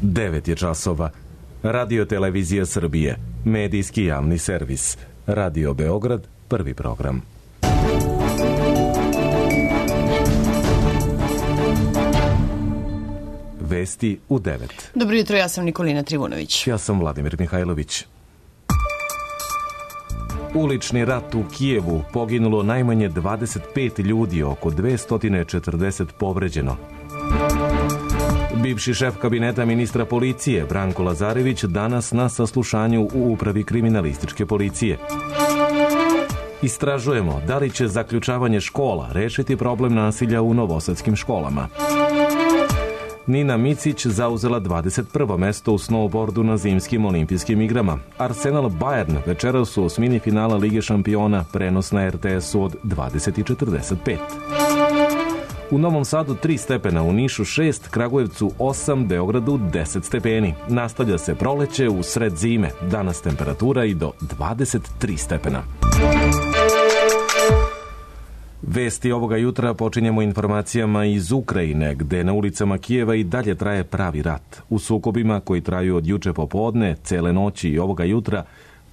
9 je časova. Radio Televizija Srbije, medijski javni servis. Radio Beograd, prvi program. Vesti u 9. Dobro jutro, ja sam Nikolina Trivunović. Ja sam Vladimir Mihajlović. Ulični rat u Kijevu, poginulo najmanje 25 ljudi, oko 240 povređeno. Bivši šef kabineta ministra policije Branko Lazarević danas na saslušanju u Upravi kriminalističke policije. Istražujemo da li će zaključavanje škola rešiti problem nasilja u novosadskim školama. Nina Micić zauzela 21. mesto u snowboardu na zimskim olimpijskim igrama. Arsenal Bayern večeras u osmini finala Lige šampiona, prenos na RTS-u od 20:45. U Novom Sadu 3 stepena, u Nišu 6, Kragujevcu 8, Beogradu 10 stepeni. Nastavlja se proleće u sred zime. Danas temperatura i do 23 stepena. Vesti ovoga jutra počinjemo informacijama iz Ukrajine, gde na ulicama Kijeva i dalje traje pravi rat. U sukobima koji traju od juče popodne, cele noći i ovoga jutra,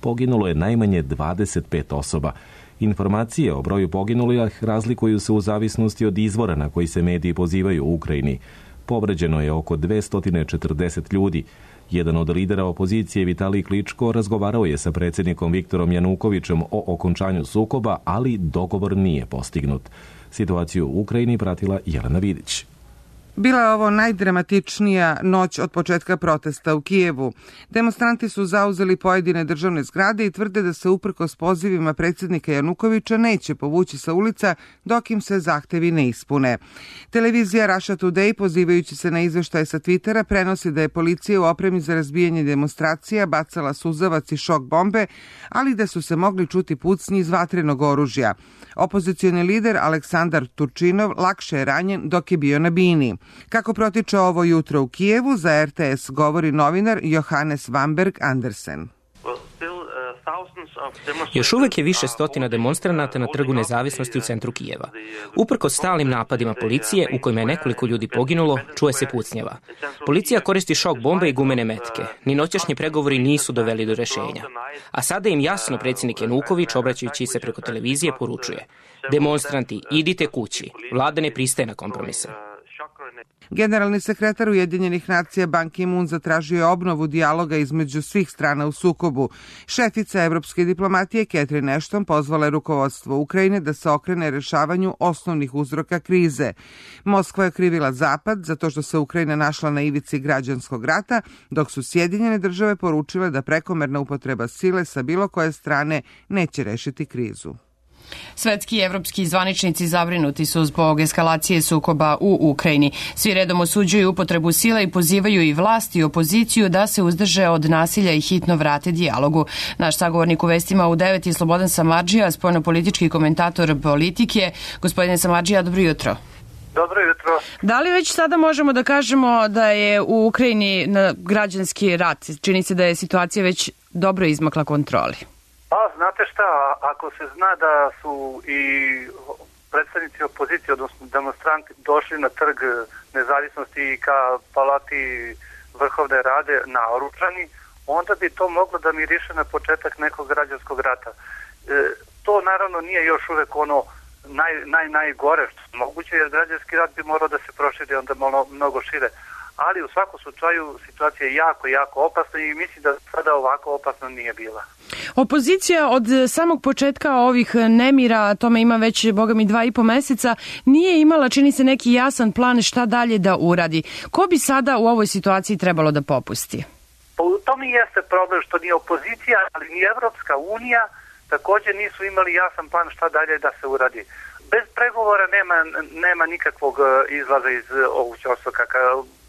poginulo je najmanje 25 osoba. Informacije o broju poginulih razlikuju se u zavisnosti od izvora na koji se mediji pozivaju u Ukrajini. Povređeno je oko 240 ljudi. Jedan od lidera opozicije, Vitalij Kličko, razgovarao je sa predsjednikom Viktorom Janukovićem o okončanju sukoba, ali dogovor nije postignut. Situaciju u Ukrajini pratila Jelena Vidić. Bila je ovo najdramatičnija noć od početka protesta u Kijevu. Demonstranti su zauzeli pojedine državne zgrade i tvrde da se uprkos pozivima predsjednika Janukovića neće povući sa ulica dok im se zahtevi ne ispune. Televizija Russia Today, pozivajući se na izveštaje sa Twittera, prenosi da je policija u opremi za razbijanje demonstracija bacala suzavac i šok bombe, ali da su se mogli čuti pucnji iz vatrenog oružja. Opozicioni lider Aleksandar Turčinov lakše je ranjen dok je bio na bini. Kako protiče ovo jutro u Kijevu, za RTS govori novinar Johannes Vamberg Andersen. Još uvek je više stotina demonstranata na Trgu nezavisnosti u centru Kijeva. Uprkos stalnim napadima policije, u kojima je nekoliko ljudi poginulo, čuje se pucnjava. Policija koristi šok bombe i gumene metke. Ni noćašnji pregovori nisu doveli do rešenja. A sada im jasno predsjednik Januković, obraćajući se preko televizije, poručuje: demonstranti, idite kući. Vlada ne pristaje na kompromise. Generalni sekretar Ujedinjenih nacija Ban Ki-moon zatražio je obnovu dijaloga između svih strana u sukobu. Šefica evropske diplomatije Catherine Ashton pozvala je rukovodstvo Ukrajine da se okrene rešavanju osnovnih uzroka krize. Moskva je krivila Zapad zato što se Ukrajina našla na ivici građanskog rata, dok su Sjedinjene države poručile da prekomerna upotreba sile sa bilo koje strane neće rešiti krizu. Svetski i evropski zvaničnici zabrinuti su zbog eskalacije sukoba u Ukrajini. Svi redom osuđuju upotrebu sile i pozivaju i vlast i opoziciju da se uzdrže od nasilja i hitno vrate dijalogu. Naš sagovornik u vestima u 9 je Slobodan Samardžija, spoljnopolitički komentator Politike. Gospodine Samardžija, dobro jutro. Dobro jutro. Da li već sada možemo da kažemo da je u Ukrajini građanski rat? Čini se da je situacija već dobro izmakla kontroli. Pa, znate šta, ako se zna da su i predstavnici opozicije, odnosno demonstranti, došli na Trg nezavisnosti i ka Palati Vrhovne Rade naoružani, onda bi to moglo da miriše na početak nekog građanskog rata. To naravno nije još uvek ono najgore što je moguće, jer građanski rat bi morao da se proširi onda mnogo šire. Ali u svakom slučaju situacija je jako opasna i mislim da sada ovako opasna nije bila. Opozicija od samog početka ovih nemira, tome ima već, boga mi, 2,5 meseca, nije imala, čini se, neki jasan plan šta dalje da uradi. Ko bi sada u ovoj situaciji trebalo da popusti? Pa u tome jeste problem što ni opozicija, ali ni Evropska unija također nisu imali jasan plan šta dalje da se uradi. Bez pregovora nema nikakvog izlaza iz ovog ćorsaka.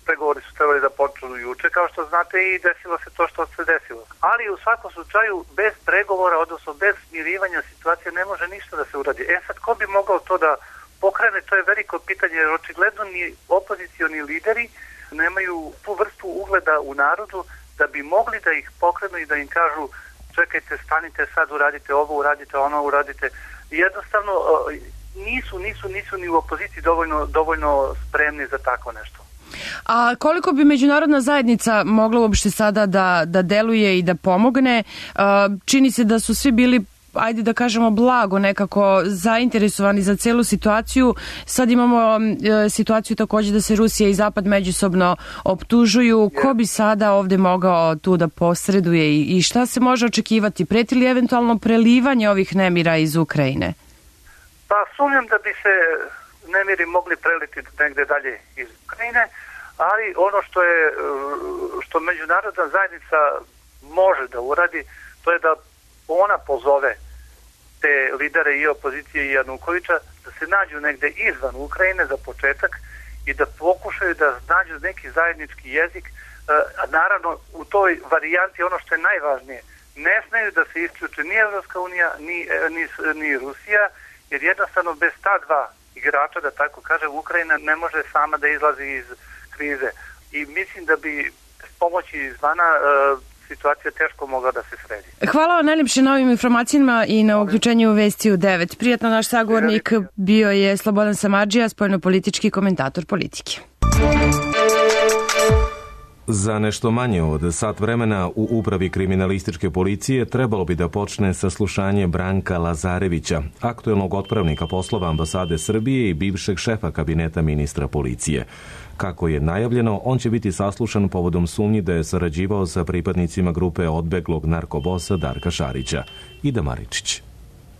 Pregovori su trebali da počnu juče, kao što znate, i desilo se to što se desilo. Ali u svakom slučaju, bez pregovora, odnosno bez smirivanja situacije, ne može ništa da se uradi. Sad, ko bi mogao to da pokrene, to je veliko pitanje, jer očigledno ni opozicioni lideri nemaju tu vrstu ugleda u narodu da bi mogli da ih pokrenu i da im kažu: čekajte, stanite sad, uradite ovo, uradite ono, uradite. Jednostavno, nisu ni u opoziciji dovoljno spremni za tako nešto. A koliko bi međunarodna zajednica mogla uopšte sada da deluje i da pomogne? Čini se da su svi bili, ajde da kažemo, blago nekako zainteresovani za celu situaciju. Sad imamo situaciju takođe da se Rusija i Zapad međusobno optužuju. Ko bi sada ovde mogao tu da posreduje i šta se može očekivati? Preti li eventualno prelivanje ovih nemira iz Ukrajine? Pa sumnjam da bi se nemiri mogli preliti negde dalje iz Ukrajine, ali ono što međunarodna zajednica može da uradi, to je da ona pozove te lidere i opozicije i Janukovića da se nađu negde izvan Ukrajine za početak i da pokušaju da nađu neki zajednički jezik. A naravno u toj varijanti ono što je najvažnije, ne smeju da se isključe ni Evropska unija ni Rusija, jer jednostavno bez ta dva igrača, da tako kažem, Ukrajina ne može sama da izlazi iz krize. I mislim da bi s pomoći izvana situacija teško mogla da se sredi. Hvala vam najljepše na ovim informacijama i na uključenju u Vesti u 9. Prijatno, naš sagovornik bio je Slobodan Samardžija, spoljnopolitički komentator Politike. Za nešto manje od sat vremena u Upravi kriminalističke policije trebalo bi da počne saslušanje Branka Lazarevića, aktuelnog otpravnika poslova ambasade Srbije i bivšeg šefa kabineta ministra policije. Kako je najavljeno, on će biti saslušan povodom sumnji da je sarađivao sa pripadnicima grupe odbeglog narkobosa Darka Šarića. Ida Maričić.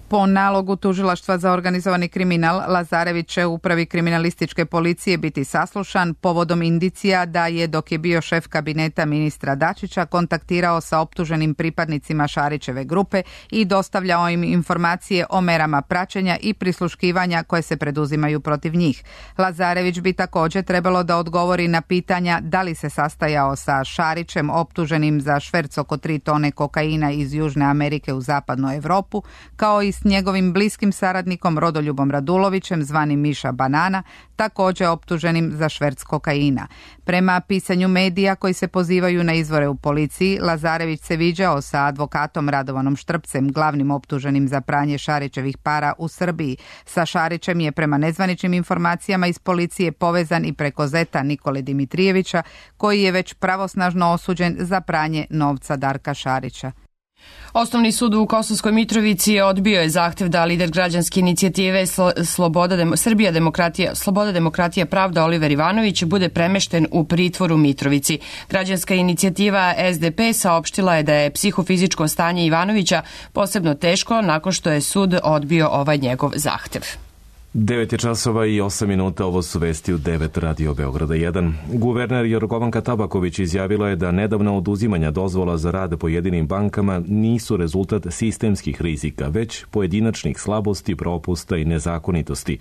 Po nalogu Tužilaštva za organizovani kriminal, Lazarević će u Upravi kriminalističke policije biti saslušan povodom indicija da je, dok je bio šef kabineta ministra Dačića, kontaktirao sa optuženim pripadnicima Šarićeve grupe i dostavljao im informacije o merama praćenja i prisluškivanja koje se preduzimaju protiv njih. Lazarević bi također trebalo da odgovori na pitanja da li se sastajao sa Šarićem, optuženim za šverc oko 3 tone kokaina iz Južne Amerike u zapadnu Evropu, kao i s njegovim bliskim saradnikom Rodoljubom Radulovićem, zvanim Miša Banana, također optuženim za šverc kokaina. Prema pisanju medija koji se pozivaju na izvore u policiji, Lazarević se viđao sa advokatom Radovanom Štrpcem, glavnim optuženim za pranje Šarićevih para u Srbiji. Sa Šarićem je prema nezvaničnim informacijama iz policije povezan i preko zeta Nikole Dimitrijevića, koji je već pravosnažno osuđen za pranje novca Darka Šarića. Osnovni sud u Kosovskoj Mitrovici odbio je zahtev da lider građanske inicijative Sloboda, demokratija, pravda Oliver Ivanović bude premešten u pritvor u Mitrovici. Građanska inicijativa SDP saopštila je da je psihofizičko stanje Ivanovića posebno teško nakon što je sud odbio ovaj njegov zahtev. 9 časova i 8 minuta, ovo su Vesti u 9 Radio Beograda 1. Guverner Jorgovanka Tabaković izjavila je da nedavna oduzimanja dozvola za rad pojedinim bankama nisu rezultat sistemskih rizika, već pojedinačnih slabosti, propusta i nezakonitosti.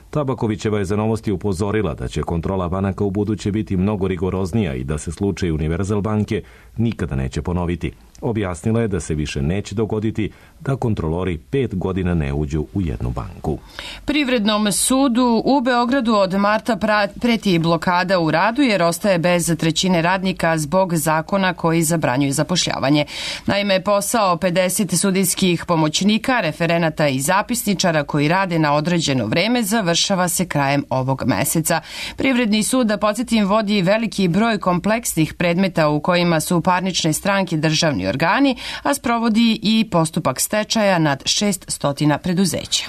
Tabakovićeva je za Novosti upozorila da će kontrola banaka u buduće biti mnogo rigoroznija i da se slučaj Univerzal banke nikada neće ponoviti. Objasnila je da se više neće dogoditi da kontrolori 5 godina ne uđu u jednu banku. Privrednom sudu u Beogradu od marta preti blokada u radu jer ostaje bez trećine radnika zbog zakona koji zabranjuju zapošljavanje. Naime, posao 50 sudijskih pomoćnika, referenata i zapisničara koji rade na određeno vreme završava se krajem ovog meseca. Privredni sud, da podsjetim, vodi veliki broj kompleksnih predmeta u kojima su parnične stranke državni organi, a sprovodi i postupak stečaja nad 600 preduzeća.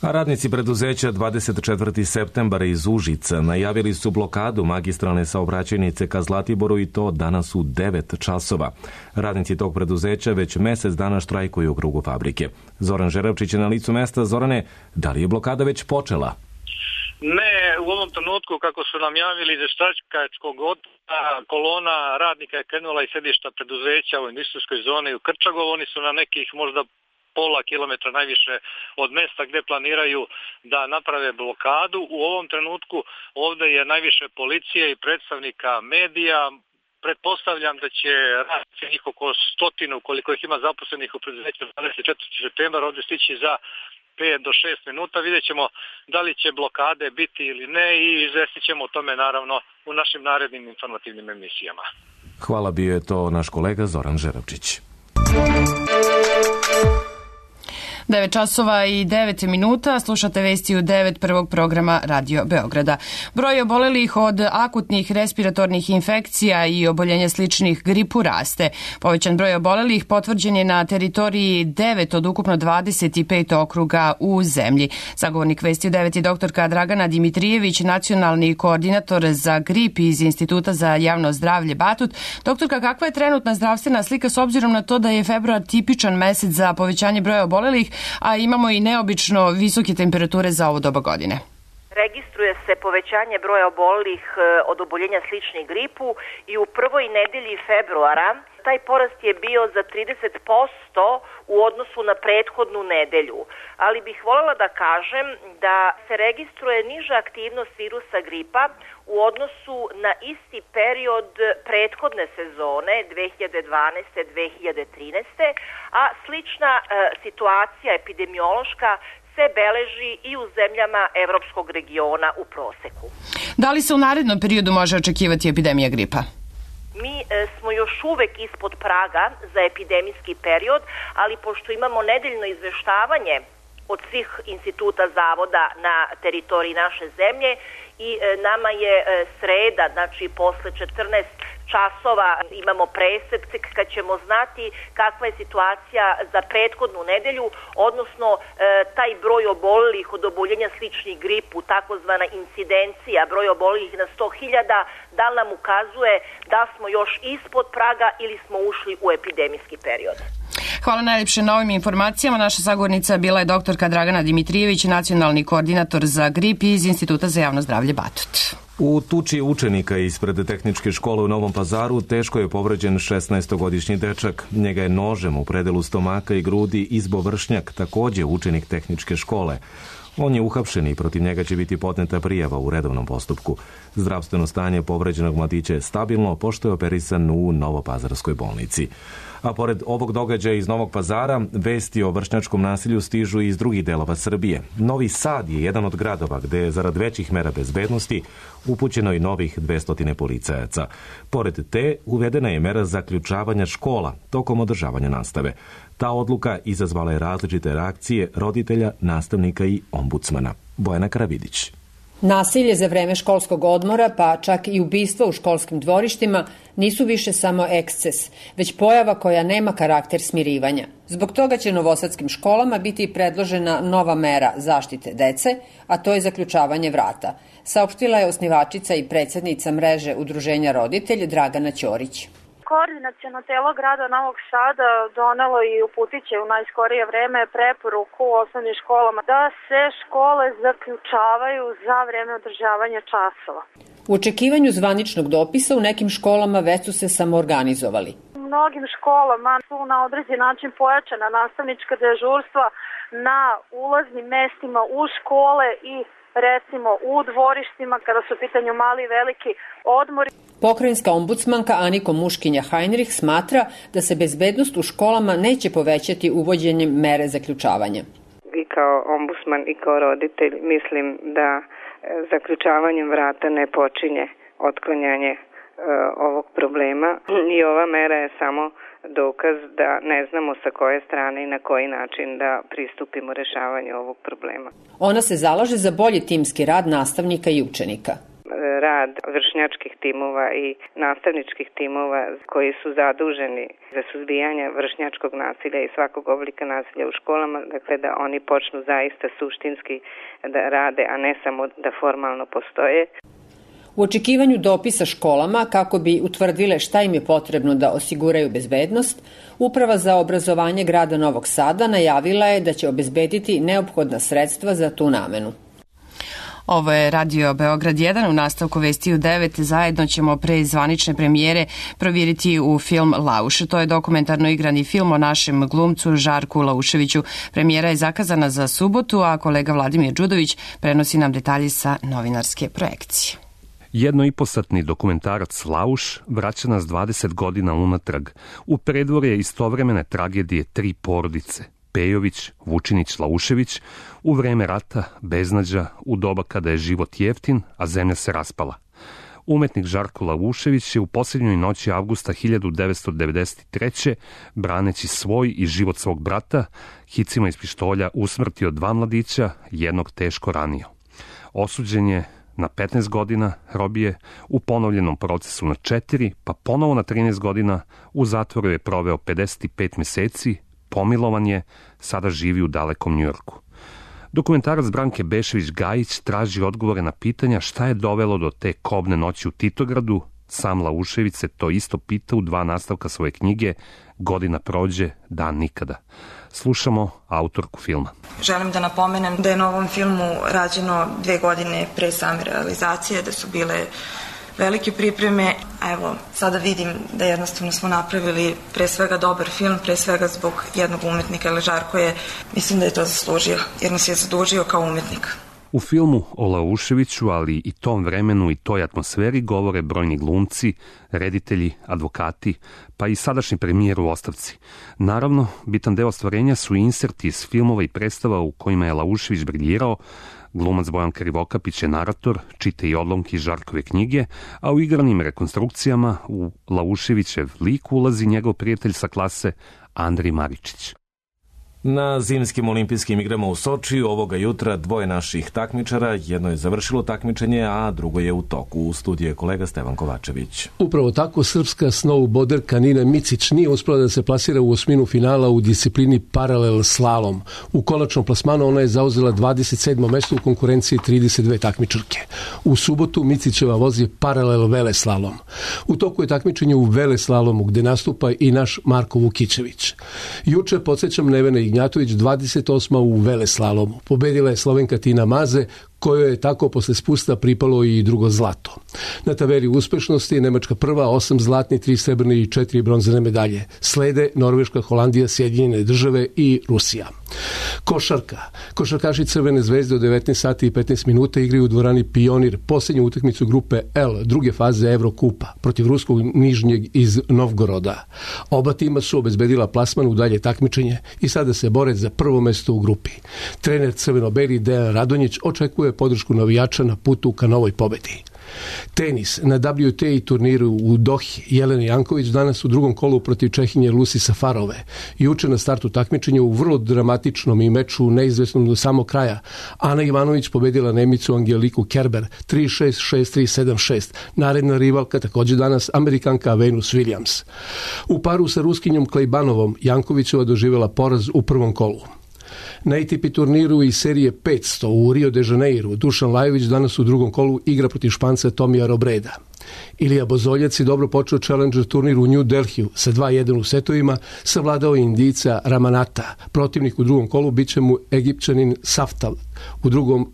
A radnici preduzeća 24. septembar iz Užica najavili su blokadu magistralne saobraćajnice ka Zlatiboru i to danas u 9 časova. Radnici tog preduzeća već mesec dana štrajkuju u krugu fabrike. Zoran Žeravčić je na licu mesta. Zorane, da li je blokada već počela? Ne, u ovom trenutku, kako su nam javili iz veštačkačkog odbora, kolona radnika je krenula iz sedišta preduzeća u industrijskoj zoni u Krčagovu. Oni su na nekih možda pola kilometra najviše od mesta gdje planiraju da naprave blokadu. U ovom trenutku ovdje je najviše policije i predstavnika medija. Pretpostavljam da će radnici njih oko 100, koliko ih ima zaposlenih u preduzeću 24. septembar ovdje stići za 5 do 6 minuta. Vidjet ćemo da li će blokade biti ili ne i izvestit ćemo o tome naravno u našim narednim informativnim emisijama. Hvala, bio je to naš kolega Zoran Žeravčić. 9 časova i 9 minuta, slušate vesti u 9 prvog programa Radio Beograda. Broj obolelih od akutnih respiratornih infekcija i oboljenja sličnih gripu raste. Povećan broj obolelih potvrđen je na teritoriji 9 od ukupno 25 okruga u zemlji. Sagovornik vesti u 9 je doktorka Dragana Dimitrijević, nacionalni koordinator za grip iz Instituta za javno zdravlje Batut. Doktorka, kakva je trenutna zdravstvena slika s obzirom na to da je februar tipičan mesec za povećanje broja obolelih, a imamo i neobično visoke temperature za ovo doba godine? Registruje se povećanje broja obolelih od oboljenja sličnih gripu i u prvoj nedelji februara taj porast je bio za 30% u odnosu na prethodnu nedelju. Ali bih voljela da kažem da se registruje niža aktivnost virusa gripa u odnosu na isti period prethodne sezone 2012-2013, a slična situacija epidemiološka se beleži i u zemljama evropskog regiona u proseku. Da li se u narednom periodu može očekivati epidemija gripa? Mi smo još uvek ispod praga za epidemijski period, ali pošto imamo nedeljno izveštavanje od svih instituta zavoda na teritoriji naše zemlje i nama je sreda, znači posle 14 časova imamo presek kad ćemo znati kakva je situacija za prethodnu nedelju, odnosno taj broj obolelih od oboljenja sličnih gripu, takozvana incidencija, broj obolelih na 100.000, da li nam ukazuje da smo još ispod praga ili smo ušli u epidemijski period. Hvala najljepše na ovim informacijama. Naša sagovornica bila je doktorka Dragana Dimitrijević, nacionalni koordinator za grip iz Instituta za javno zdravlje Batut. U tuči učenika ispred tehničke škole u Novom Pazaru teško je povređen 16-godišnji dečak. Njega je nožem u predelu stomaka i grudi izbo Vršnjak, takođe učenik tehničke škole. On je uhapšen i protiv njega će biti podneta prijava u redovnom postupku. Zdravstveno stanje povređenog mladića je stabilno, pošto je operisan u Novopazarskoj bolnici. A pored ovog događaja iz Novog Pazara, vesti o vršnjačkom nasilju stižu i iz drugih delova Srbije. Novi Sad je jedan od gradova gde je zarad većih mera bezbednosti upućeno i novih 200 policajaca. Pored te, uvedena je mera zaključavanja škola tokom održavanja nastave. Ta odluka izazvala je različite reakcije roditelja, nastavnika i ombudsmana. Bojana Karavidić. Nasilje za vreme školskog odmora, pa čak i ubistva u školskim dvorištima, nisu više samo eksces, već pojava koja nema karakter smirivanja. Zbog toga će novosadskim školama biti predložena nova mera zaštite dece, a to je zaključavanje vrata, saopštila je osnivačica i predsednica mreže Udruženja roditelj Dragana Ćorić. Koordinaciono telo grada Novog Sada donelo i uputit će u najskorije vreme preporuku u osnovnim školama da se škole zaključavaju za vreme održavanja časova. U očekivanju zvaničnog dopisa u nekim školama već su se samoorganizovali. U mnogim školama su na određen način pojačana nastavnička dežurstva na ulaznim mestima u škole i recimo u dvorištima kada su u pitanju mali i veliki odmori. Pokrajinska ombudsmanka Aniko Muškinja-Heinrich smatra da se bezbednost u školama neće povećati uvođenjem mere zaključavanja. I kao ombudsman i kao roditelj mislim da zaključavanjem vrata ne počinje otklanjanje ovog problema i ova mera je samo dokaz da ne znamo sa koje strane i na koji način da pristupimo rešavanju ovog problema. Ona se zalaže za bolji timski rad nastavnika i učenika. Rad vršnjačkih timova i nastavničkih timova koji su zaduženi za suzbijanje vršnjačkog nasilja i svakog oblika nasilja u školama, dakle da oni počnu zaista suštinski da rade, a ne samo da formalno postoje. U očekivanju dopisa školama, kako bi utvrdile šta im je potrebno da osiguraju bezbednost, Uprava za obrazovanje grada Novog Sada najavila je da će obezbediti neophodna sredstva za tu namenu. Ovo je Radio Beograd 1, u nastavku vesti u 9. Zajedno ćemo pre zvanične premijere provjeriti u film Lauš. To je dokumentarno igrani film o našem glumcu Žarku Lauševiću. Premijera je zakazana za subotu, a kolega Vladimir Đudović prenosi nam detalje sa novinarske projekcije. 1,5-satni dokumentarac Lauš vraća nas 20 godina unatrag u predvorje istovremene tragedije 3 porodice. Pejović, Vučinić, Laušević, u vreme rata, beznađa, u doba kada je život jeftin, a zemlja se raspala. Umetnik Žarko Laušević je u posljednjoj noći avgusta 1993. braneći svoj i život svog brata, hicima iz pištolja usmrtio 2 mladića, jednog teško ranio. Osuđen je na 15 godina robije, u ponovljenom procesu na 4, pa ponovo na 13 godina, u zatvoru je proveo 55 meseci, pomilovan je, sada živi u dalekom Njujorku. Dokumentarac Branke Bešević-Gajić traži odgovore na pitanja šta je dovelo do te kobne noći u Titogradu. Sam Laušević se to isto pita u 2 nastavka svoje knjige Godina prođe, dan nikada. Slušamo autorku filma. Želim da napomenem da je na ovom filmu rađeno 2 godine pre same realizacije, da su bile velike pripreme, a evo, sada vidim da jednostavno smo napravili pre svega dobar film, pre svega zbog jednog umetnika, ali Žarko je, mislim da je to zaslužio, jer nas je zadužio kao umetnik. U filmu o Lauševiću, ali i tom vremenu i toj atmosferi govore brojni glumci, reditelji, advokati, pa i sadašnji premijer u ostavci. Naravno, bitan deo ostvarenja su inserti iz filmova i predstava u kojima je Laušević briljirao. Glumac Bojan Krivokapić je narator, čita i odlomke iz Žarkove knjige, a u igranim rekonstrukcijama u Lauševićev lik ulazi njegov prijatelj sa klase Andrij Maričić. Na zimskim olimpijskim igrama u Sočiju ovoga jutra 2 naših takmičara, jedno je završilo takmičenje, a drugo je u toku. U studiju je kolega Stevan Kovačević. Upravo tako, srpska snowboarderka Nina Micić nije uspela da se plasira u osminu finala u disciplini paralel slalom. U konačnom plasmanu ona je zauzela 27. mesto u konkurenciji 32 takmičarke. U subotu Micićeva vozi paralel veleslalom. U toku je takmičenje u veleslalomu gde nastupa i naš Marko Vukićević. Juče, podsjećam, Nevena Ignjatović 28. u veleslalomu. Pobedila je Slovenka Tina Maze, kojoj je tako posle spusta pripalo i drugo zlato. Na tabeli uspešnosti Nemačka prva, 8 zlatnih, 3 srebrne i 4 bronzane medalje. Slede Norveška, Holandija, Sjedinjene države i Rusija. Košarka. Košarkaši Crvene zvezde od 19 sati i 15 minuta igraju u dvorani Pionir posljednju utakmicu grupe L, druge faze Evrokupa, protiv ruskog Nižnjeg iz Novgoroda. Oba tima su obezbedila plasman u dalje takmičenje i sada se bore za prvo mesto u grupi. Trener crveno-beli Dejan Radonjić očekuje podršku navijača na putu ka novoj pobedi. Tenis. Na WTA turniru u Dohi Jelena Janković danas u drugom kolu protiv Čehinje Lucy Safarove. Juče na startu takmičenja u vrlo dramatičnom i meču neizvesnom do samog kraja. Ana Ivanović pobedila Nemicu Angeliku Kerber 3-6, 6-3, 7-6. Naredna rivalka također danas Amerikanka Venus Williams. U paru sa Ruskinjom Klejbanovom Jankovićeva doživjela poraz u prvom kolu. Na ATP turniru iz serije 500 u Rio de Janeiro Dušan Lajović danas u drugom kolu igra protiv Španca Tomija Robreda. Ilija Bozoljac je dobro počeo Challenger turnir u New Delhiju sa 2-1 u setovima, savladao Indijca Ramanata. Protivnik u drugom kolu bit će mu Egipćanin Saftal.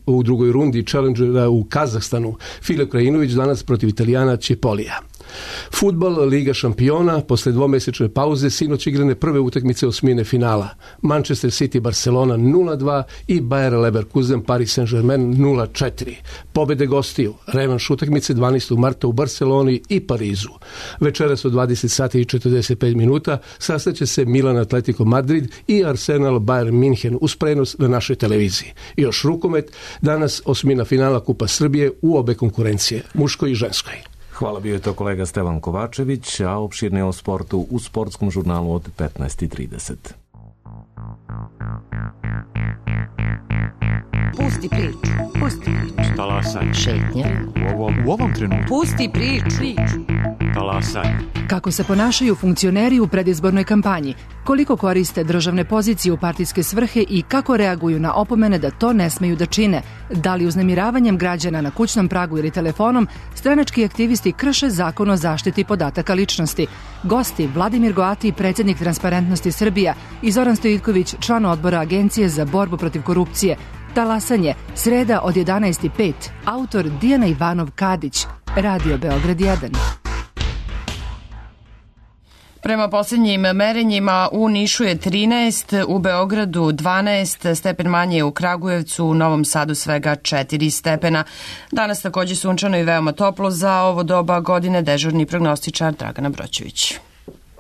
U drugoj rundi Challengera u Kazahstanu Filip Krajinović danas protiv Italijana Cipollija. Fudbal, Liga šampiona, posle dvomesečne pauze sinoć igrane prve utakmice osmine finala. Manchester City Barcelona 0-2 i Bayer Leverkusen Paris Saint-Germain 0-4. Pobede gostiju, revanš utakmice 12. marta u Barceloni i Parizu. Večeras od 20 sati i 45 minuta sastaće se Milan Atletico Madrid i Arsenal Bayern München uz prenos na našoj televiziji. I još rukomet, danas osmina finala Kupa Srbije u obe konkurencije, muškoj i ženskoj. Hvala, bio je to kolega Stevan Kovačević, a opširne o sportu u sportskom žurnalu od 15:30. Pusti priču. Pusti priču. Talasaj. Šetnja. U ovom trenutku. Pusti priču. Talasaj. Kako se ponašaju funkcioneri u predizbornoj kampanji, koliko koriste državne pozicije u partijske svrhe i kako reaguju na opomene da to ne smeju da čine, da li uznemiravanjem građana na kućnom pragu ili telefonom stranački aktivisti krše zakon o zaštiti podataka ličnosti. Gosti Vladimir Goati, predsjednik Transparentnosti Srbija, i Zoran Stojitković, član odbora Agencije za borbu protiv korupcije. Talasanje, sreda od 11:05. Autor Dijana Ivanov Kadić, Radio Beograd 1. Prema posljednjim merenjima u Nišu je 13, u Beogradu 12, stepen manje u Kragujevcu, u Novom Sadu svega 4 stepena. Danas također sunčano i veoma toplo za ovo doba godine, dežurni prognostičar Dragana Broćević.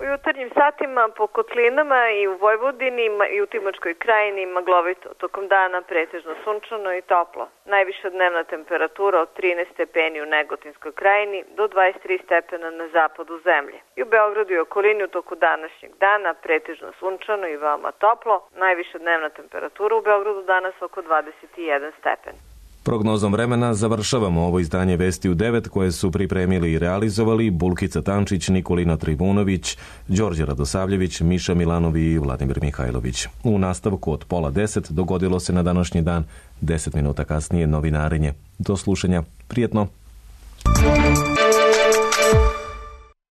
U jutarnjim satima po kotlinama i u Vojvodini i u Timočkoj krajini maglovito. Tokom dana pretežno sunčano i toplo. Najviša dnevna temperatura od 13 stepeni u Negotinskoj krajini do 23 stepena na zapadu zemlje. I u Beogradu i okolini u toku današnjeg dana pretežno sunčano i veoma toplo. Najviša dnevna temperatura u Beogradu danas oko 21 stepen. Prognozom vremena završavamo ovo izdanje Vesti u 9 koje su pripremili i realizovali Bulkica Tančić, Nikolina Trivunović, Đorđe Radosavljević, Miša Milanovi i Vladimir Mihajlović. U nastavku od 9:30 dogodilo se na današnji dan, 10 minuta kasnije novinarenje. Do slušanja. Prijetno.